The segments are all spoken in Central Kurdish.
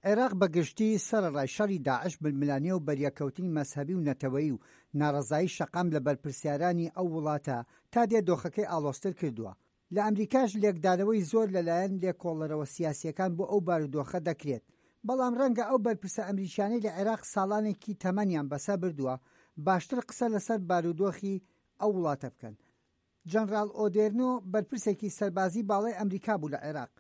عێراق بە گشتی، سەرەڕای شەڕی داعش، ململانێ و بەریەککەوتنی مەزهەبی و نەتەوەیی و ناڕەزایی شەقام لە بەرپرسیارانی ئەو وڵاتە، تا دێ دۆخەکەی ئاڵۆزتر کردووە. لە ئەمریکاش لێکدانەوەی زۆر لەلایەن لێکۆڵەرەوە سیاسییەکان بۆ ئەو بارودۆخە دەکرێت، بەڵام ڕەنگە ئەو بەرپرسە ئەمریکیانەی لە عێراق ساڵانێکی تەمەنیان بەسەر بردووە، باشتر قسە لەسەر بارودۆخی ئەو وڵاتە بکەن. جەنڕاڵ ئۆدێرنۆ بەرپرسێکی سەربازی باڵای ئەمریکا بوو لە عێراق،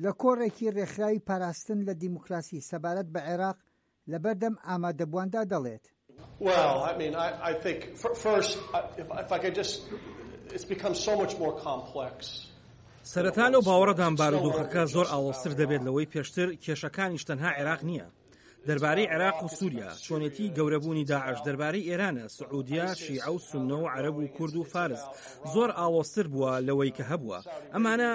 لە کۆڕێکی ڕێکخراوی پاراستن لە دیموکراسی سەبارەت بە عێراق لەبەردەم ئامادەبوواندا دەڵێت. سەرەتا لەو باوەڕەدام بارودۆخەکە زۆر ئاڵۆزتر دەبێت لەوەی پێشتر، کێشەکانیش تەنها عێراق نییە. دەربارەی عێراق و سووریا، چۆنێتی گەورەبوونی داعش، دەربارەی ئێرانە، سعودیە، شیعە و سوننە و عەرەب و کورد و فارس، زۆر ئاڵۆزتر بووە لەوەی کە هەبووە. ئەمانە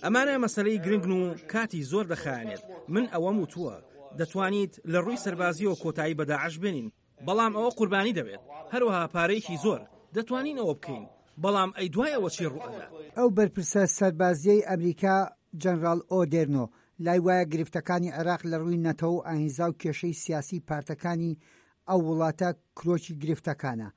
ئەمانە مەسەلەی گرنگن و کاتی زۆر دەخایەنێت. من ئەوەم وتووە، دەتوانیت لە ڕووی سەربازییەوە کۆتایی بە داعش بێنین، بەڵام ئەوە قوربانی دەوێت، هەروەها پارەیەکی زۆر، دەتوانین ئەوە بکەین، بەڵام ئەی دوای ئەوە چی ڕووئەدات؟ ئەو بەرپرسە سەربازییەی ئەمریکا جەنراڵ ئۆدێرنۆ لای وایە گرفتەکانی عێراق لە ڕووی نەتەوە و ئایینزا و کێشەی سیاسیی پارتەکانی ئەو وڵاتە کرۆکی گرفتەکانە.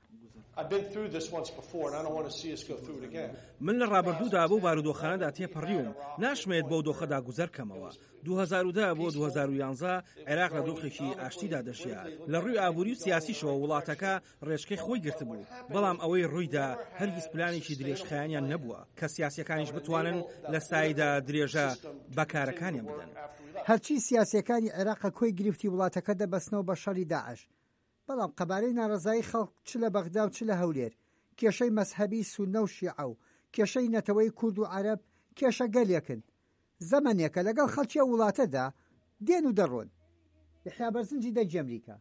من لە ڕابردوودا بەو بارودۆخانەدا تێپەڕیوم، ناشمەوێت بەو دۆخەدا گوزەر کەمەوە. 2010 بۆ 2011 عێراق لە دۆخێکی ئاشتیدا دەژیا، لە ڕووی ئابووری و سیاسیشەوە وڵاتەکە ڕێچکەی خۆی گرتبوو، بەڵام ئەوەی ڕوویدا هەرگیز پلانێکی درێژخایەنیان نەبووە کە سیاسییەکانیش بتوانن لە سایەیدا درێژە بە کارەکانیان بدەن. هەرچی سیاسییەکانی عێراقە کۆی گرفتی وڵاتەکە دەبەستنەوە بە شەڕی داعش، بەڵام قەبارەی ناڕەزایی خەڵک چ لە بەغدا و چ لە هەولێر، کێشەی مەزهەبی سوننە و شیعە و کێشەی نەتەوەی کورد و عەرەب کێشەگەلێکن زەمەنێکە لەگەڵ خەڵکی ئەو وڵاتەدا دێن و دەڕۆن. یەحیا بەرزنجی دەنگی ئەمریکا.